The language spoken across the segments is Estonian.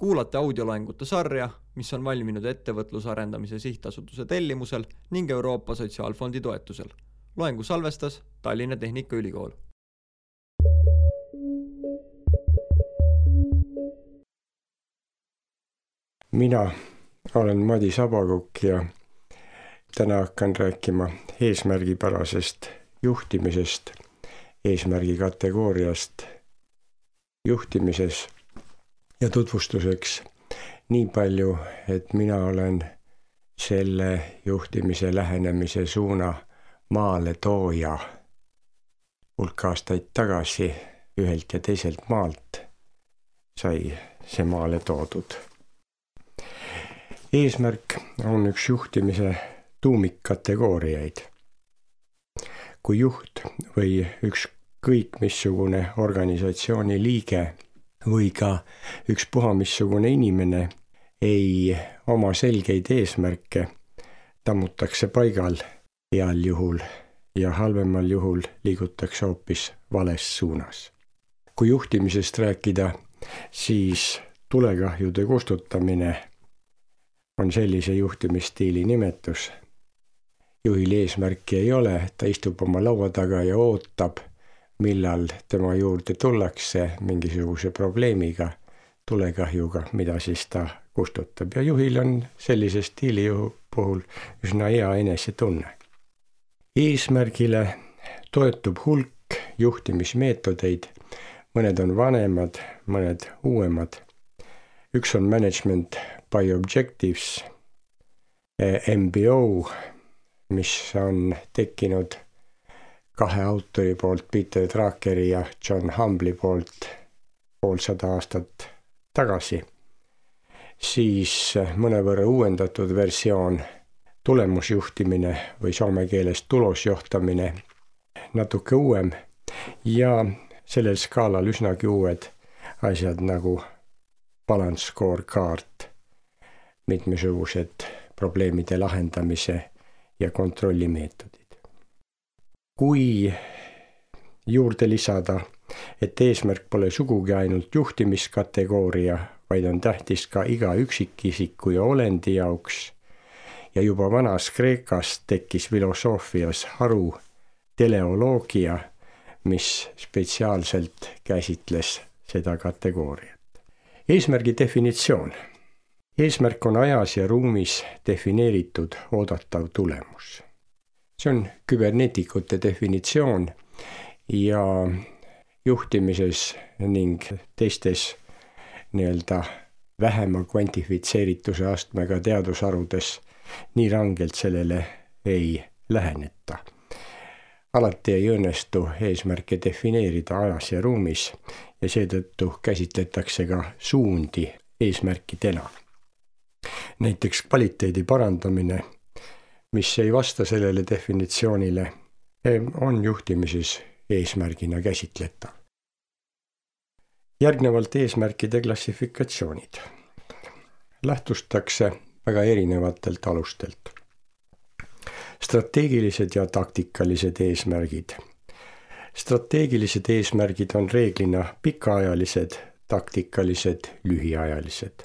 Kuulate audioloengute sarja, mis on valminud Ettevõtlusarendamise Sihtasutuse tellimusel ning Euroopa Sotsiaalfondi toetusel. Loengu salvestas Tallinna Tehnikaülikool. Mina olen Madi Sabakukk ja täna hakkan rääkima eesmärgipärasest juhtimisest, eesmärgi kategooriast juhtimises ja tutvustuseks nii palju, et mina olen selle juhtimise lähenemise suuna maale tooja. Hulk aastaid tagasi ühelt ja teiselt maalt sai see maale toodud. Eesmärk on üks juhtimise tuumikkategooriaid. Kui juht või ükskõik missugune organisatsiooni liige või ka ükspuha missugune inimene ei oma selgeid eesmärke, tammutakse paigal heal juhul ja halvemal juhul liigutakse hoopis vales suunas. Kui juhtimisest rääkida, siis tulekahjude kustutamine on sellise juhtimisstiili nimetus. Juhil eesmärki ei ole, ta istub oma laua taga ja ootab, millal tema juurde tullakse mingisuguse probleemiga, tulekahjuga, mida siis ta kustutab. Ja juhil on sellise stiili puhul üsna hea enesetunne. Eesmärgile toetub hulk juhtimismeetodeid, mõned on vanemad, mõned uuemad. Üks on Management by Objectives, MBO, mis on tekkinud kahe autori poolt, Peter Druckeri ja John Humbly poolt 150 aastat tagasi. Siis mõnevõrra uuendatud versioon, tulemusjuhtimine või soome keeles tulosjohtamine, natuke uuem ja sellel skaalal üsnagi uued asjad nagu balance scorecard, mitmesugused probleemide lahendamise ja kontrollimeetodid. Kui juurde lisada, et eesmärk pole sugugi ainult juhtimiskategooria, vaid on tähtis ka iga üksikisiku ja olendi jaoks ja juba vanas Kreekas tekkis filosoofias haru teleoloogia, mis spetsiaalselt käsitles seda kategooriat. Eesmärgi definitsioon. Eesmärk on ajas ja ruumis defineeritud oodatav tulemus. See on küberneetikute definitsioon ja juhtimises ning teistes vähema kvantifitseerituse astmega teadusharudes nii rangelt sellele ei läheneta. Alati ei õnnestu eesmärke defineerida ajas ja ruumis ja seetõttu käsitletakse ka suundi eesmärkidena. Näiteks kvaliteedi parandamine, mis ei vasta sellele definitsioonile, on juhtimises eesmärgina käsitletav. Järgnevalt eesmärkide klassifikatsioonid. Lähtustakse väga erinevatelt alustelt. Strateegilised ja taktikalised eesmärgid. Strateegilised eesmärgid on reeglina pikaajalised, taktikalised, lühiajalised.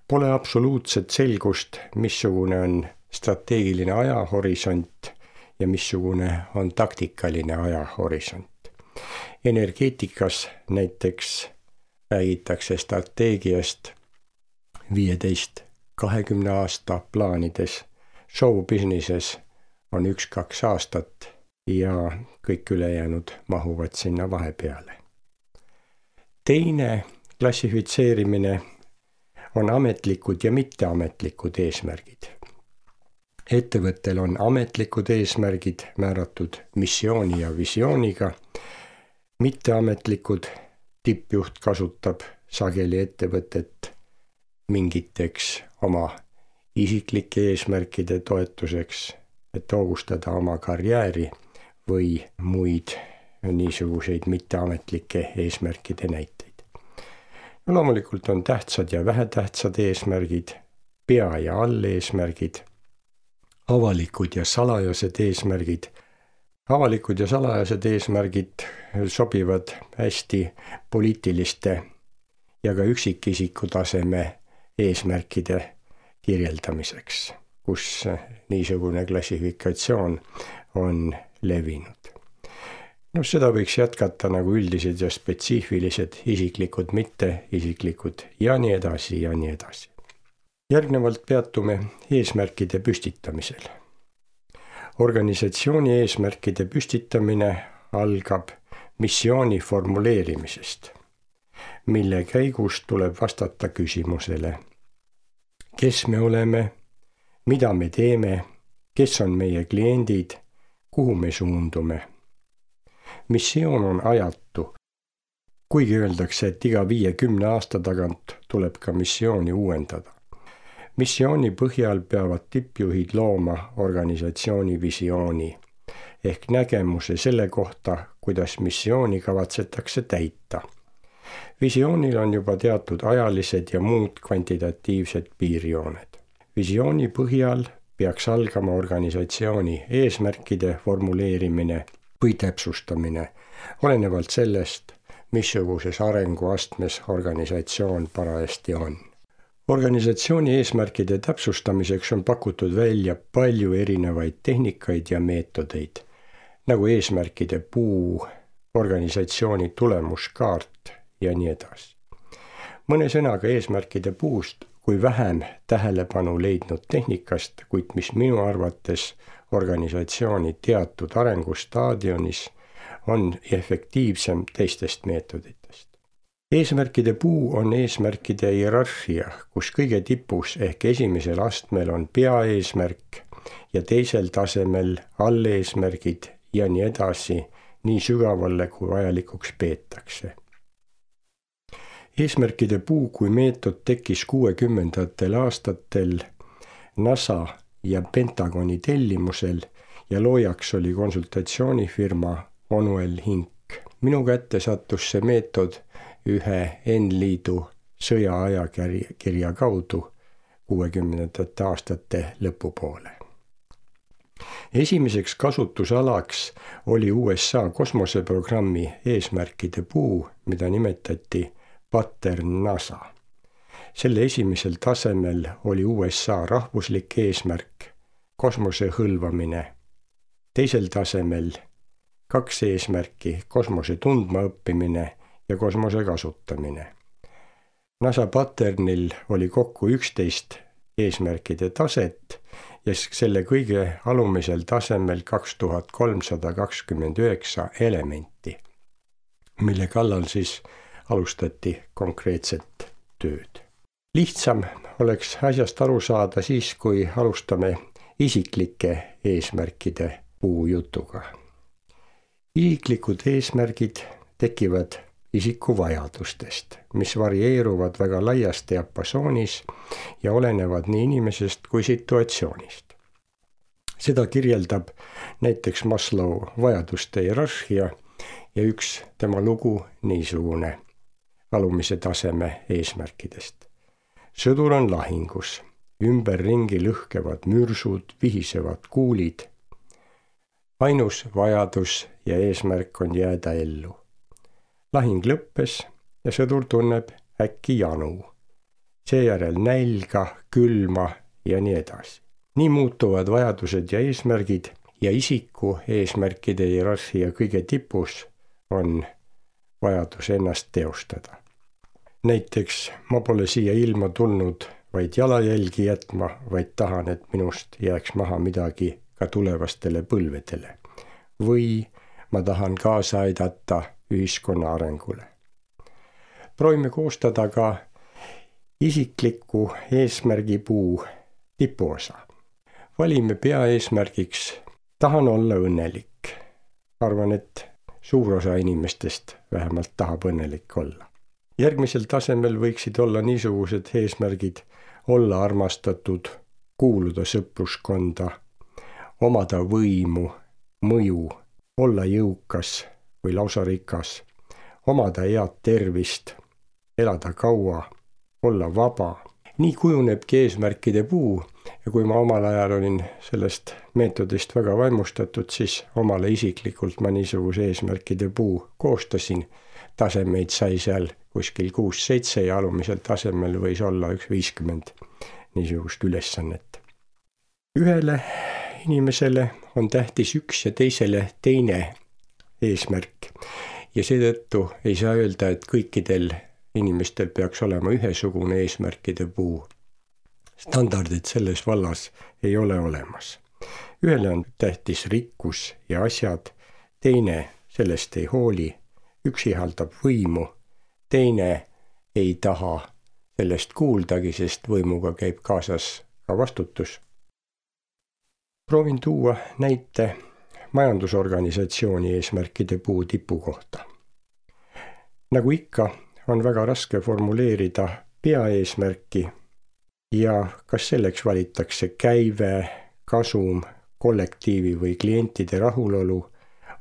Pole absoluutset selgust, missugune on strateegiline ajahorisont ja missugune on taktikaline ajahorisont. Energeetikas näiteks räägitakse strateegiast 15-20 aasta plaanides. Show businesses on 1-2 aastat ja kõik ülejäänud mahuvad sinna vahepeale. Teine klassifitseerimine on ametlikud ja mitteametlikud eesmärgid. Ettevõttel on ametlikud eesmärgid määratud missiooni ja visiooniga. Mitteametlikud tippjuht kasutab sageli ettevõtet mingiteks oma isiklike eesmärkide toetuseks, et hoogustada oma karjääri või muid niisuguseid mitteametlikke eesmärkide näiteid. No, loomulikult on tähtsad ja vähetähtsad eesmärgid, pea- ja alleesmärgid, avalikud ja salajased eesmärgid. Avalikud ja salajased eesmärgid sobivad hästi poliitiliste ja ka üksikisiku taseme eesmärkide kirjeldamiseks, kus niisugune klassifikatsioon on levinud. Seda võiks jätkata nagu üldised ja spetsiifilised, isiklikud, mitteisiklikud ja nii edasi ja nii edasi. Järgnevalt peatume eesmärkide püstitamisel. Organisatsiooni eesmärkide püstitamine algab missiooni formuleerimisest, mille käigus tuleb vastata küsimusele, kes me oleme, mida me teeme, kes on meie kliendid, kuhu me suundume. Missioon on ajatu, kuigi öeldakse, et iga 50 aasta tagant tuleb ka missiooni uuendada. Missiooni põhjal peavad tippjuhid looma organisatsiooni visiooni ehk nägemuse selle kohta, kuidas missiooni kavatsetakse täita. Visioonil on juba teatud ajalised ja muud kvantitatiivsed piirjooned. Visiooni põhjal peaks algama organisatsiooni eesmärkide formuleerimine või täpsustamine, olenevalt sellest, missuguses arenguastmes organisatsioon parajasti on. Organisatsiooni eesmärkide täpsustamiseks on pakutud välja palju erinevaid tehnikaid ja meetodeid, nagu eesmärkide puu, organisatsiooni tulemuskaart ja nii edasi. Mõne sõnaga eesmärkide puust kui vähem tähelepanu leidnud tehnikast, kuid mis minu arvates organisatsiooni teatud arengustaadionis on efektiivsem teistest meetoditest. Eesmärkide puu on eesmärkide hierarhia, kus kõige tipus ehk esimesel astmel on peaeesmärk ja teisel tasemel alleesmärgid ja nii edasi, nii sügavalle kui vajalikuks peetakse. Eesmärkide puu kui meetod tekkis 60. aastatel NASA ja Pentagoni tellimusel ja loojaks oli konsultatsioonifirma Onuel Hink. Minu kätte sattus see meetod ühe N-liidu sõjaajakirja kaudu 60. aastate lõpupoole. Esimeseks kasutusalaks oli USA kosmoseprogrammi eesmärkide puu, mida nimetati Pattern NASA. Selle esimesel tasemel oli USA rahvuslik eesmärk, kosmose hõlvamine. Teisel tasemel 2 eesmärki, kosmose tundmaõppimine ja kosmose kasutamine. NASA Patternil oli kokku 11 eesmärkide taset ja selle kõige alumisel tasemel 2329 elementi, mille kallal siis alustati konkreetset tööd. Lihtsam oleks asjast aru saada siis, kui alustame isiklike eesmärkide puujutuga. Isiklikud eesmärgid tekivad isiku vajadustest, mis varieeruvad väga laias diapasoonis ja olenevad nii inimesest kui situatsioonist. Seda kirjeldab näiteks Maslow vajaduste hierarhia ja üks tema lugu niisugune alumise taseme eesmärkidest. Sõdur on lahingus, ümberringi lõhkevad mürsud, vihisevad kuulid. Ainus vajadus ja eesmärk on jääda ellu. Lahing lõppes ja sõdur tunneb äkki janu. Seejärel nälga, külma ja nii edasi. Nii muutuvad vajadused ja eesmärgid ja isiku eesmärkide hierarhia kõige tipus on vajadus ennast teostada. Näiteks ma pole siia ilma tulnud vaid jalajälgi jätma, vaid tahan, et minust jääks maha midagi ka tulevastele põlvedele. Või ma tahan kaasa aidata ühiskonna arengule. Proovime koostada ka isikliku eesmärgipuu tipuosa. Valime peaeesmärgiks tahan olla õnnelik. Arvan, et suur osa inimestest vähemalt tahab õnnelik olla. Järgmisel tasemel võiksid olla niisugused eesmärgid olla armastatud, kuuluda sõpruskonda, omada võimu, mõju, olla jõukas või lausa rikas, omada head tervist, elada kaua, olla vaba. Nii kujunebki eesmärkide puu ja kui ma omal ajal olin sellest meetodist väga vaimustatud, siis omale isiklikult ma niisuguse eesmärkide puu koostasin. tasemeid sai seal kuskil 6-7 ja alumisel tasemel võis olla 50 niisugust ülesannet. Ühele inimesele on tähtis üks ja teisele teine eesmärk ja seetõttu ei saa öelda, et kõikidel inimestel peaks olema ühesugune eesmärkide puu. Standardid selles vallas ei ole olemas. Ühele on tähtis rikkus ja asjad, teine sellest ei hooli, üks ihaldab võimu, teine ei taha sellest kuuldagi, sest võimuga käib kaasas ka vastutus. Proovin tuua näite majandusorganisatsiooni eesmärkide puu tipu kohta. Nagu ikka, on väga raske formuleerida peaeesmärki ja kas selleks valitakse käive, kasum, kollektiivi või klientide rahulolu,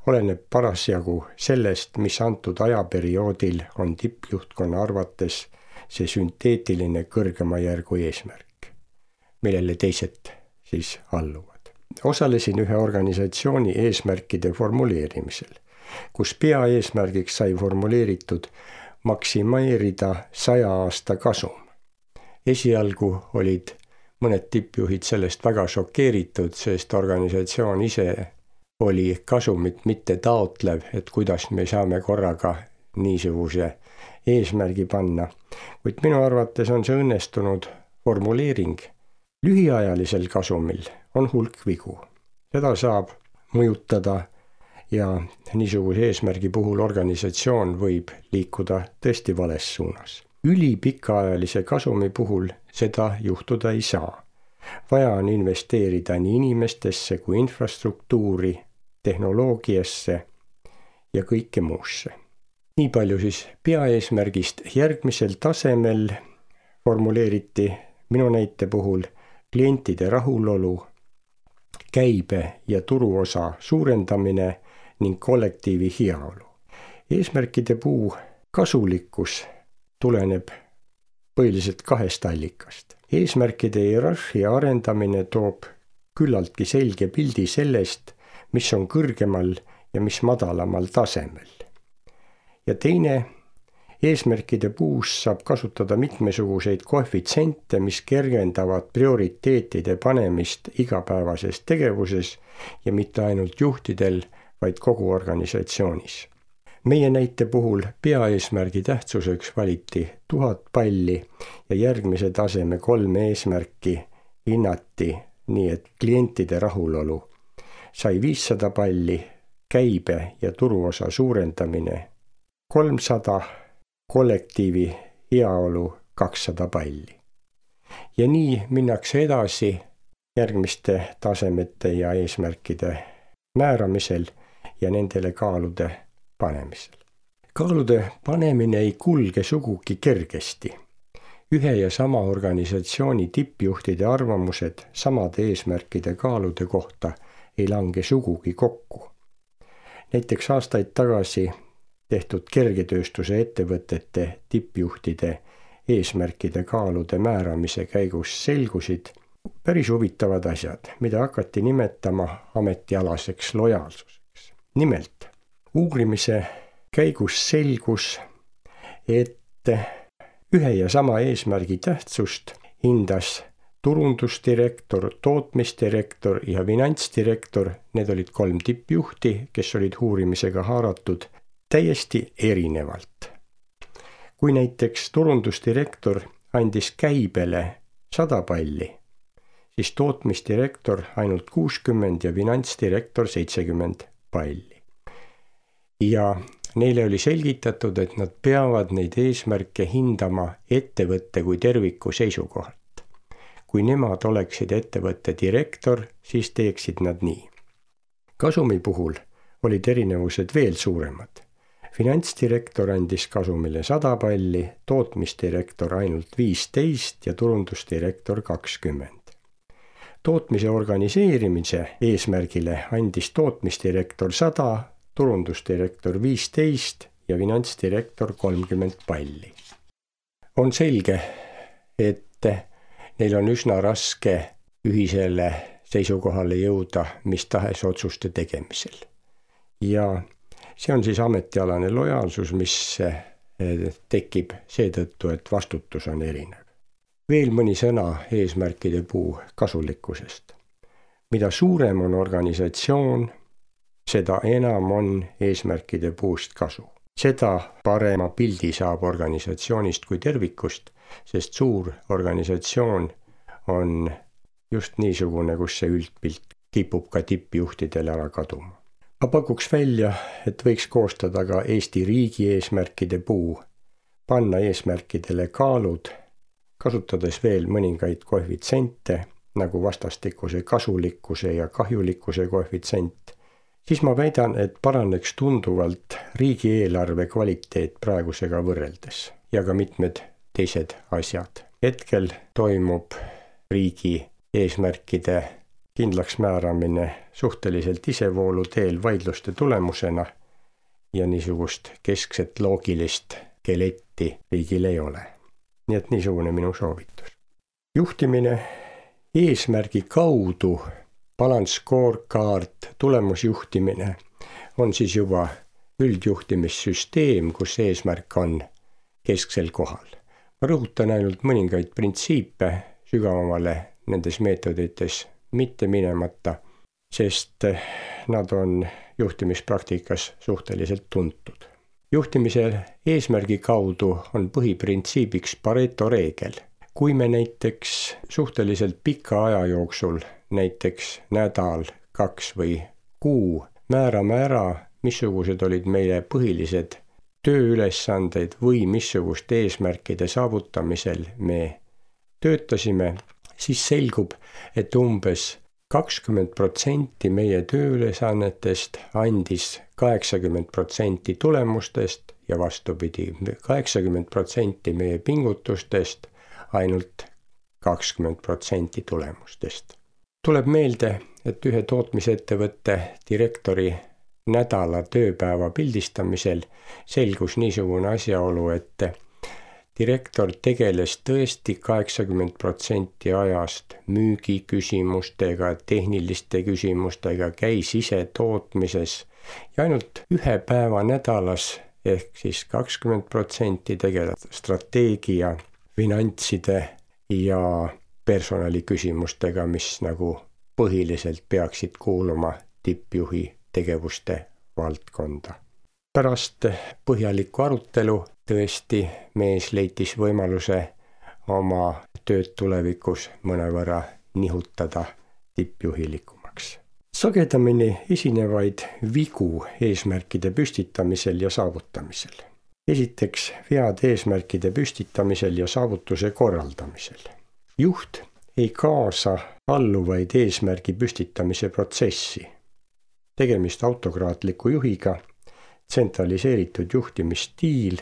oleneb parasjagu sellest, mis antud ajaperioodil on tippjuhtkonna arvates see sünteetiline kõrgema järgu eesmärk, millele teised siis alluvad. Osalesin ühe organisatsiooni eesmärkide formuleerimisel, kus peaeesmärgiks sai formuleeritud maksimeerida 100 aasta kasum. Esialgu olid mõned tippjuhid sellest väga šokeeritud, sest organisatsioon ise oli kasumit mitte taotlev, et kuidas me saame korraga niisuguse eesmärgi panna. Kuid minu arvates on see õnnestunud formuleering. Lühiajalisel kasumil on hulk vigu. Seda saab mõjutada ja niisuguse eesmärgi puhul organisatsioon võib liikuda tõesti vales suunas. Ülipikaajalise kasumi puhul seda juhtuda ei saa. Vaja on investeerida nii inimestesse kui infrastruktuuri, tehnoloogiasse ja kõike muusse. Nii palju siis peaeesmärgist. Järgmisel tasemel formuleeriti minu näite puhul klientide rahulolu, käibe ja turuosa suurendamine ning kollektiivi heaolu. Eesmärkide puu kasulikkus tuleneb põhiliselt 2 allikast. Eesmärkide hierarhia arendamine toob küllaltki selge pildi sellest, mis on kõrgemal ja mis madalamal tasemel. Ja teine, eesmärkide puus saab kasutada mitmesuguseid koefitsente, mis kergendavad prioriteetide panemist igapäevases tegevuses ja mitte ainult juhtidel, vaid kogu organisatsioonis. Meie näite puhul peaeesmärgi tähtsuseks valiti 1000 palli ja järgmise taseme 3 eesmärki hinnati nii, et klientide rahulolu sai 500 palli, käibe ja turuosa suurendamine 300, kollektiivi heaolu 200 palli. Ja nii minnakse edasi järgmiste tasemete ja eesmärkide määramisel ja nendele kaalude panemisel. Kaalude panemine ei kulge sugugi kergesti. Ühe ja sama organisatsiooni tippjuhtide arvamused samade eesmärkide kaalude kohta ei lange sugugi kokku. Näiteks aastaid tagasi tehtud kergetööstuse ettevõtete tippjuhtide eesmärkide kaalude määramise käigus selgusid päris huvitavad asjad, mida hakati nimetama ametialaseks lojaalsuseks. Nimelt, uurimise käigus selgus, et ühe ja sama eesmärgi tähtsust hindas turundusdirektor, tootmisdirektor ja finantsdirektor, need olid 3 tippjuhti, kes olid uurimisega haaratud, täiesti erinevalt. Kui näiteks turundusdirektor andis käibele 100 palli, siis tootmisdirektor ainult 60 ja finantsdirektor 70 palli. Ja neile oli selgitatud, et nad peavad neid eesmärke hindama ettevõtte kui terviku seisukohalt. Kui nemad oleksid ettevõtte direktor, siis teeksid nad nii. Kasumi puhul olid erinevused veel suuremad. Finantsdirektor andis kasumile 100 palli, tootmisdirektor ainult 15 ja turundusdirektor 20. Tootmise organiseerimise eesmärgile andis tootmisdirektor 100, turundusdirektor 15 ja finantsdirektor 30 palli. On selge, et neil on üsna raske ühisele seisukohale jõuda mis tahes otsuste tegemisel. Ja see on siis ametialane lojaalsus, mis tekib seetõttu, et vastutus on erinev. Veel mõni sõna eesmärkide puu kasulikkusest. Mida suurem on organisatsioon, seda enam on eesmärkide puust kasu. Seda parema pildi saab organisatsioonist kui tervikust, sest suur organisatsioon on just niisugune, kus see üldpilt kipub ka tippjuhtidele ära kaduma. Ma pakuks välja, et võiks koostada ka Eesti riigi eesmärkide puu, panna eesmärkidele kaalud, kasutades veel mõningaid koefitsente, nagu vastastikuse kasulikkuse ja kahjulikkuse koefitsent, siis ma väidan, et paraneks tunduvalt riigieelarve kvaliteet praegusega võrreldes ja ka mitmed teised asjad. Hetkel toimub riigi eesmärkide kindlaks määramine suhteliselt isevoolu teel vaidluste tulemusena ja niisugust keskset loogilist skeletti riigil ei ole. Nii et niisugune minu soovitus. Juhtimine eesmärgi kaudu, balance scorecard, tulemusjuhtimine on siis juba üldjuhtimissüsteem, kus eesmärk on kesksel kohal. Ma rõhutan ainult mõningaid printsiipe sügavamale nendes meetodites mitte minemata, sest nad on juhtimispraktikas suhteliselt tuntud. Juhtimise eesmärgi kaudu on põhiprintsiibiks Pareto reegel. Kui me näiteks suhteliselt pika aja jooksul, näiteks nädal, 2 või kuu, määrame ära, missugused olid meile põhilised tööülesanded või missuguste eesmärkide saavutamisel me töötasime, siis selgub, et umbes 20% meie tööülesannetest andis 80% tulemustest ja vastupidi, 80% meie pingutustest, ainult 20% tulemustest. Tuleb meelde, et ühe tootmisettevõtte direktori nädala tööpäeva pildistamisel selgus niisugune asjaolu, et direktor tegeles tõesti 80% ajast müügiküsimustega, tehniliste küsimustega, käis ise tootmises ja ainult 1 päeva nädalas ehk siis 20% tegeleb strateegia, finantside ja personaliküsimustega, mis nagu põhiliselt peaksid kuuluma tippjuhi tegevuste valdkonda. Pärast põhjalikku arutelu tõesti mees leitis võimaluse oma tööd tulevikus mõnevõrra nihutada tippjuhilikumaks. Sagedamini esinevaid vigu eesmärkide püstitamisel ja saavutamisel. Esiteks vead eesmärkide püstitamisel ja saavutuse korraldamisel. Juht ei kaasa alluvaid eesmärgi püstitamise protsessi. Tegemist autokraatliku juhiga, tsentraliseeritud juhtimisstiil,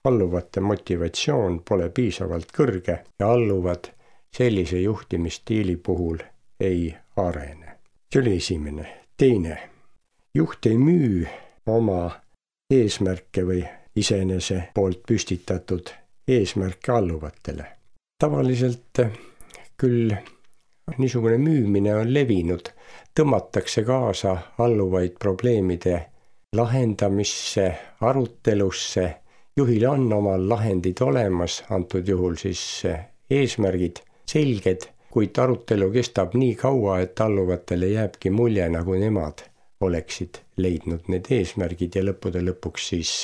alluvate motivatsioon pole piisavalt kõrge ja alluvad sellise juhtimisstiili puhul ei arene. See oli esimene. Teine. Juht ei müü oma eesmärke või iseenese poolt püstitatud eesmärke alluvatele. Tavaliselt küll niisugune müümine on levinud, tõmmatakse kaasa alluvaid probleemide lahendamisse, arutelusse, juhil on omal lahendid olemas, antud juhul siis eesmärgid selged, kuid arutelu kestab nii kaua, et alluvatele jääbki mulje, nagu nemad oleksid leidnud need eesmärgid ja lõppude lõpuks siis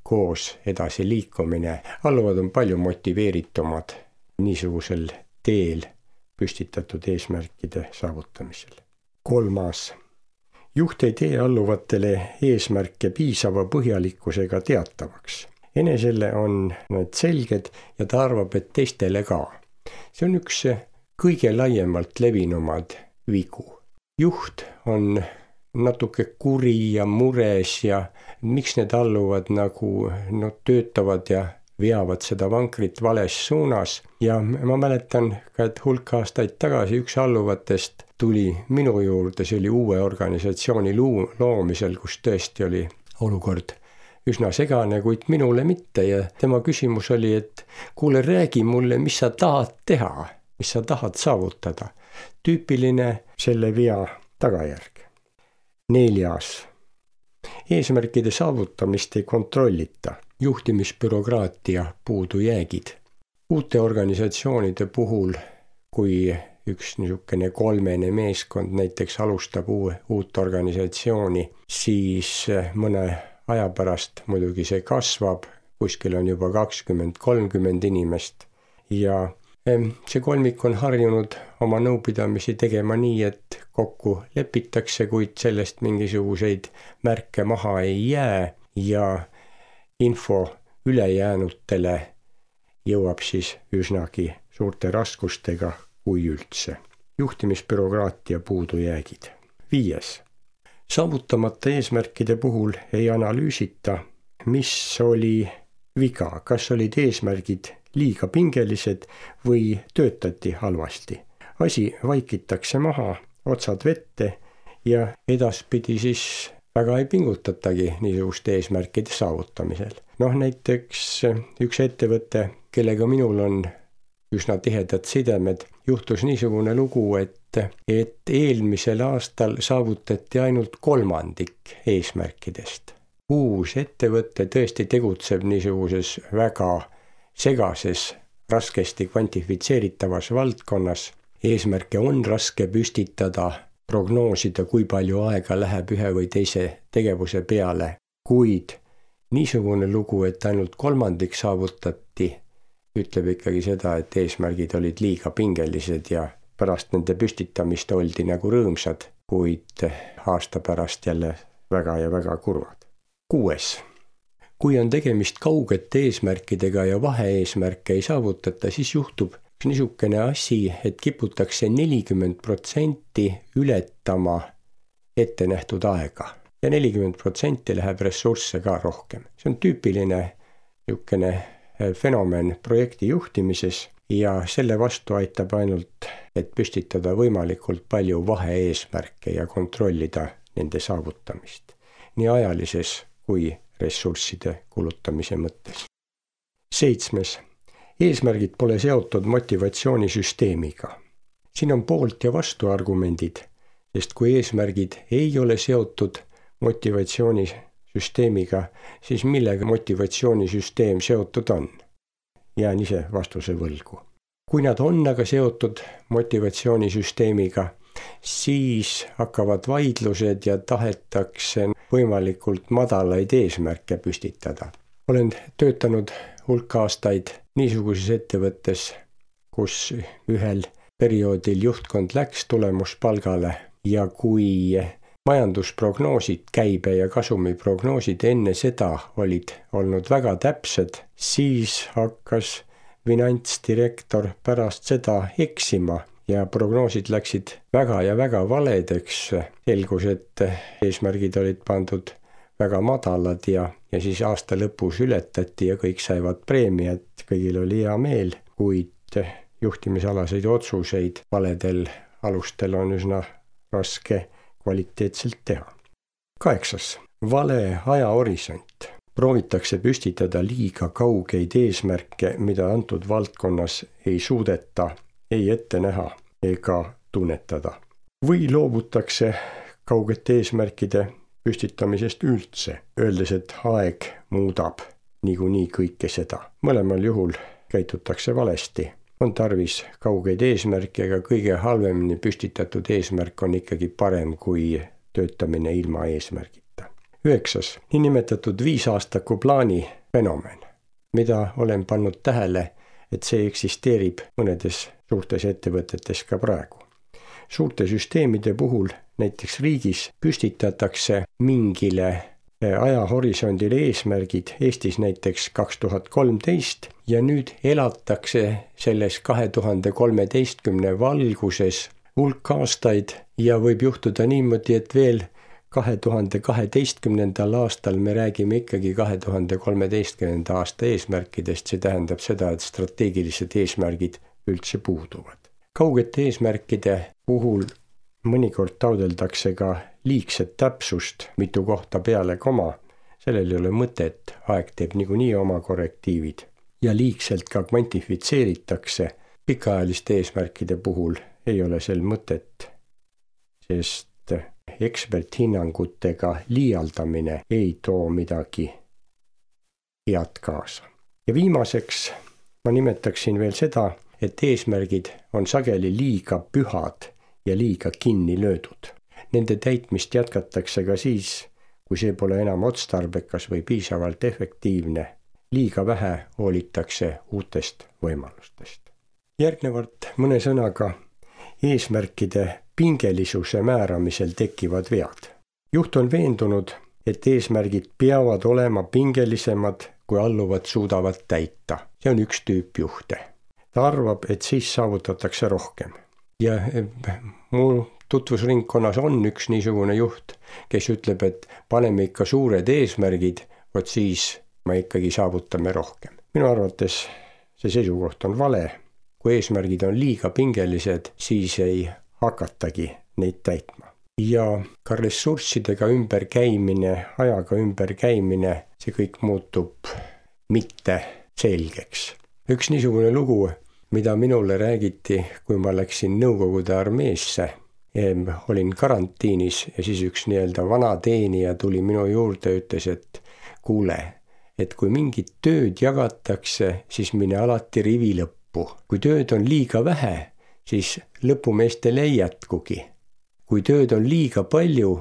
koos edasi liikumine. Alluvad on palju motiveeritumad niisugusel teel püstitatud eesmärkide saavutamisel. 3. Juht ei tee alluvatele eesmärke piisava põhjalikkusega teatavaks. Enesele on need selged ja ta arvab, et teistele ka. See on üks kõige laiemalt levinumad vigu. Juht on natuke kuri ja mures ja miks need alluvad nagu töötavad ja veavad seda vankrit vales suunas. Ja ma mäletan ka, et hulk aastaid tagasi üks alluvatest tuli minu juurde, see oli uue organisatsiooni loomisel, kus tõesti oli olukord üsna segane, kuid minule mitte ja tema küsimus oli, et kuule, räägi mulle, mis sa tahad teha, mis sa tahad saavutada. Tüüpiline selle vea tagajärg. 4. eesmärkide saavutamist ei kontrollita, juhtimisbürokraatia puudujäägid. Uute organisatsioonide puhul, kui üks niisugune kolmene meeskond näiteks alustab uut organisatsiooni, siis mõne aja pärast muidugi see kasvab, kuskil on juba 20-30 inimest ja see kolmik on harjunud oma nõupidamisi tegema nii, et kokku lepitakse, kuid sellest mingisuguseid märke maha ei jää ja info ülejäänutele jõuab siis üsnagi suurte raskustega, kui üldse. Juhtimisbürokraatia puudujäägid. 5. Saavutamata eesmärkide puhul ei analüüsita, mis oli viga, kas olid eesmärgid liiga pingelised või töötati halvasti. Asi vaikitakse maha, otsad vette ja edaspidi siis väga ei pingutatagi niisuguste eesmärkide saavutamisel. Näiteks üks ettevõte, kellega minul on üsna tihedad sidemed, juhtus niisugune lugu, et eelmisel aastal saavutati ainult 1/3 eesmärkidest. Uus ettevõte tõesti tegutseb niisuguses väga segases, raskesti kvantifitseeritavas valdkonnas. Eesmärke on raske püstitada, prognoosida, kui palju aega läheb ühe või teise tegevuse peale, kuid niisugune lugu, et ainult 1/3 saavutati, ütleb ikkagi seda, et eesmärgid olid liiga pingelised ja pärast nende püstitamist oldi nagu rõõmsad, kuid aasta pärast jälle väga ja väga kurvad. 6. Kui on tegemist kaugete eesmärkidega ja vaheeesmärke ei saavutata, siis juhtub niisugune asi, et kiputakse 40% ületama ettenähtud aega ja 40% läheb ressursse ka rohkem. See on tüüpiline niisugune fenomen projekti juhtimises ja selle vastu aitab ainult, et püstitada võimalikult palju vaheeesmärke ja kontrollida nende saavutamist. Nii ajalises kui ressursside kulutamise mõttes. 7. Eesmärgid pole seotud motivatsioonisüsteemiga. Siin on poolt ja vastuargumendid, sest kui eesmärgid ei ole seotud motivatsioonisüsteemiga, siis millega motivatsioonisüsteem seotud on? Jään ise vastuse võlgu. Kui nad on aga seotud motivatsioonisüsteemiga, siis hakkavad vaidlused ja tahetakse võimalikult madalaid eesmärke püstitada. Olen töötanud hulk aastaid niisuguses ettevõttes, kus ühel perioodil juhtkond läks tulemuspalgale ja kui majandusprognoosid, käibe ja kasumi prognoosid enne seda olid olnud väga täpsed, siis hakkas finantsdirektor pärast seda eksima ja prognoosid läksid väga ja väga valedeks. Selgus, et eesmärgid olid pandud väga madalad ja siis aasta lõpus ületati ja kõik saivad preemiat, kõigil oli hea meel, kuid juhtimisalaseid otsuseid valedel alustel on üsna raske kvaliteetselt teha. 8. Vale ajahorisont. Proovitakse püstitada liiga kaugeid eesmärke, mida antud valdkonnas ei suudeta ei ette näha ega tunnetada. Või loobutakse kaugete eesmärkide püstitamisest üldse, öeldes, et aeg muudab niikuinii kõike seda. Mõlemal juhul käitutakse valesti. On tarvis kaugeid eesmärke, aga kõige halvemini püstitatud eesmärk on ikkagi parem kui töötamine ilma eesmärgita. 9. Niinimetatud 5-aastaku plaani fenomen, mida olen pannud tähele, et see eksisteerib mõnedes suurtes ettevõtetes ka praegu. Suurte süsteemide puhul, näiteks riigis, püstitatakse mingile ajahorisondile eesmärgid, Eestis näiteks 2013 ja nüüd elatakse selles 2013 valguses hulk aastaid ja võib juhtuda niimoodi, et veel 2012. aastal me räägime ikkagi 2013. aasta eesmärkidest, see tähendab seda, et strateegilised eesmärgid üldse puuduvad. Kaugete eesmärkide puhul mõnikord taodeldakse ka liigset täpsust, mitu kohta peale koma, sellel ei ole mõtet, aeg teeb niikuinii oma korrektiivid ja liigselt ka kvantifitseeritakse. Pikaajaliste eesmärkide puhul ei ole sel mõtet, sest eksperthinnangutega liialdamine ei too midagi head kaasa. Ja viimaseks ma nimetaksin veel seda, et eesmärgid on sageli liiga pühad ja liiga kinni löödud. Nende täitmist jätkatakse ka siis, kui see pole enam otstarbekas või piisavalt efektiivne. Liiga vähe hoolitakse uutest võimalustest. Järgnevalt mõne sõnaga eesmärkide pingelisuse määramisel tekivad vead. Juht on veendunud, et eesmärgid peavad olema pingelisemad, kui alluvad suudavad täita. See on üks tüüp juhte. Ta arvab, et siis saavutatakse rohkem. Ja mu tutvusringkonnas on üks niisugune juht, kes ütleb, et paneme ikka suured eesmärgid, vot siis me ikkagi saavutame rohkem. Minu arvates see seisukoht on vale. Kui eesmärgid on liiga pingelised, siis ei hakatagi neid täitma. Ja ka ressurssidega ümberkäimine, ajaga ümberkäimine, see kõik muutub mitte selgeks. Üks niisugune lugu, mida minule räägiti, kui ma läksin Nõukogude armeesse, olin karantiinis ja siis üks vana teenija tuli minu juurde ja ütles, et kuule, et kui mingit tööd jagatakse, siis mine alati rivi lõppu. Kui tööd on liiga vähe, siis lõpumeestel ei jätkugi. Kui tööd on liiga palju,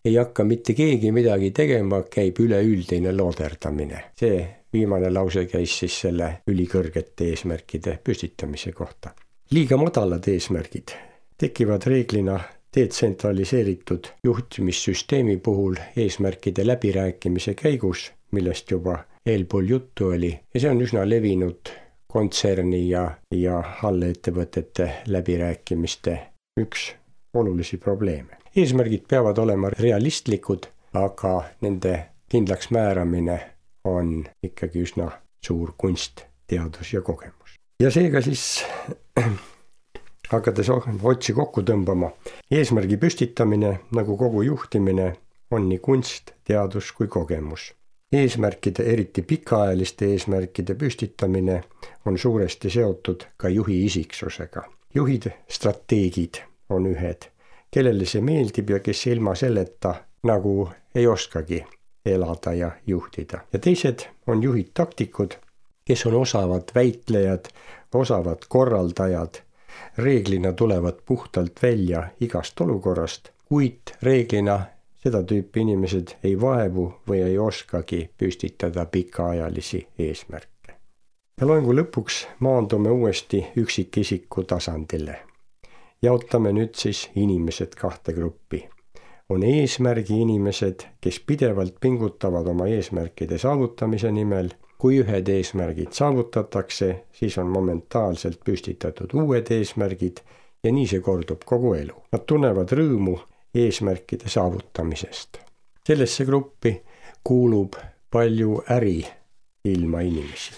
ei hakka mitte keegi midagi tegema, käib üleüldine looderdamine. See viimane lause käis siis selle ülikõrgete eesmärkide püstitamise kohta. Liiga madalad eesmärgid tekivad reeglina detsentraliseeritud juhtimissüsteemi puhul eesmärkide läbirääkimise käigus, millest juba eelpool juttu oli, ja see on üsna levinud kontserni ja allettevõtete läbirääkimiste üks olulisi probleeme. Eesmärgid peavad olema realistlikud, aga nende kindlaks määramine on ikkagi üsna suur kunst, teadus ja kogemus. Ja seega siis hakates otsi kokku tõmbama, eesmärgi püstitamine nagu kogu juhtimine on nii kunst, teadus kui kogemus. Eesmärkide, eriti pikaajaliste eesmärkide püstitamine on suuresti seotud ka juhi isiksusega. Juhid, strateegid on ühed, kellele see meeldib ja kes ilma selleta nagu ei oskagi elada ja juhtida. Ja teised on juhid taktikud, kes on osavad väitlejad, osavad korraldajad, reeglina tulevad puhtalt välja igast olukorrast, kuid reeglina seda tüüpi inimesed ei vaevu või ei oskagi püstitada pikaajalisi eesmärke. Ja loengu lõpuks maandume uuesti üksikisiku tasandile. Jaotame nüüd siis inimesed kahte gruppi. On eesmärgi inimesed, kes pidevalt pingutavad oma eesmärkide saavutamise nimel. Kui ühed eesmärgid saavutatakse, siis on momentaalselt püstitatud uued eesmärgid ja nii see kordub kogu elu. Nad tunnevad rõõmu eesmärkide saavutamisest. Sellesse gruppi kuulub palju äriilma inimesi.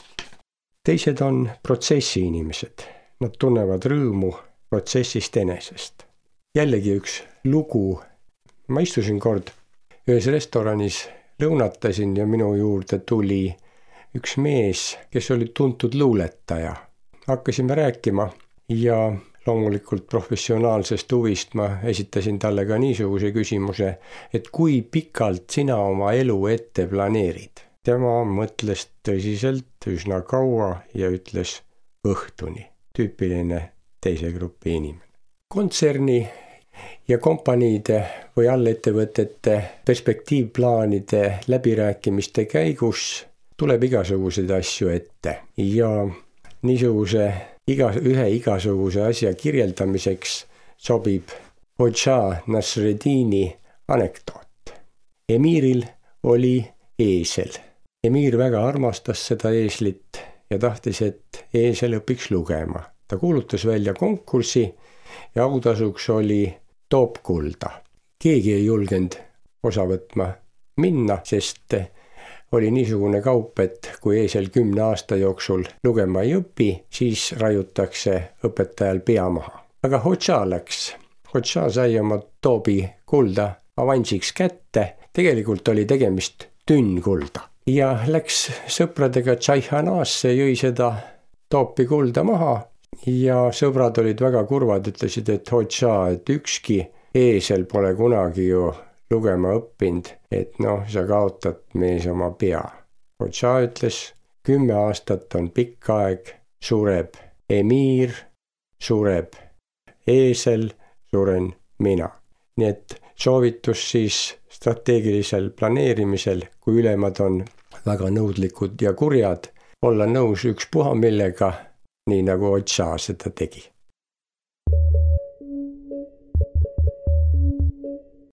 Teised on protsessi inimesed. Nad tunnevad rõõmu protsessist enesest. Jällegi üks lugu. Ma istusin kord ühes restoranis, lõunatasin ja minu juurde tuli üks mees, kes oli tuntud luuletaja. Hakkasime rääkima ja loomulikult professionaalsest huvist ma esitasin talle ka niisuguse küsimuse, et kui pikalt sina oma elu ette planeerid. Tema mõtles tõsiselt üsna kaua ja ütles õhtuni. Tüüpiline teise grupi inimene. Kontserni ja kompaniide või allettevõtete perspektiivplaanide läbirääkimiste käigus tuleb igasuguseid asju ette ja niisuguse ühe igasuguse asja kirjeldamiseks sobib Hodža Nasreddini anekdoot. Emiril oli eesel. Emir väga armastas seda eeslit ja tahtis, et eesel õpiks lugema. Ta kuulutas välja konkursi ja autasuks oli toopkulda. Keegi ei julgenud osa võtma minna, sest oli niisugune kaup, et kui eesel 10 aasta jooksul lugema ei õpi, siis raiutakse õpetajal pea maha. Aga Hodža läks. Hodža sai oma toobi kulda avansiks kätte. Tegelikult oli tegemist tünnkulda. Ja läks sõpradega Tšaihanaasse, jõi seda toopi kulda maha ja sõbrad olid väga kurvad, ütlesid, et Hodža, et ükski eesel pole kunagi ju lugema õppinud, et sa kaotad mees oma pea. Otsa ütles, 10 aastat on pikk aeg, sureb emiir, sureb eesel, suren mina. Nii et soovitus siis strateegilisel planeerimisel, kui ülemad on väga nõudlikud ja kurjad, olla nõus ükspuha millega, nii nagu Otsa seda tegi.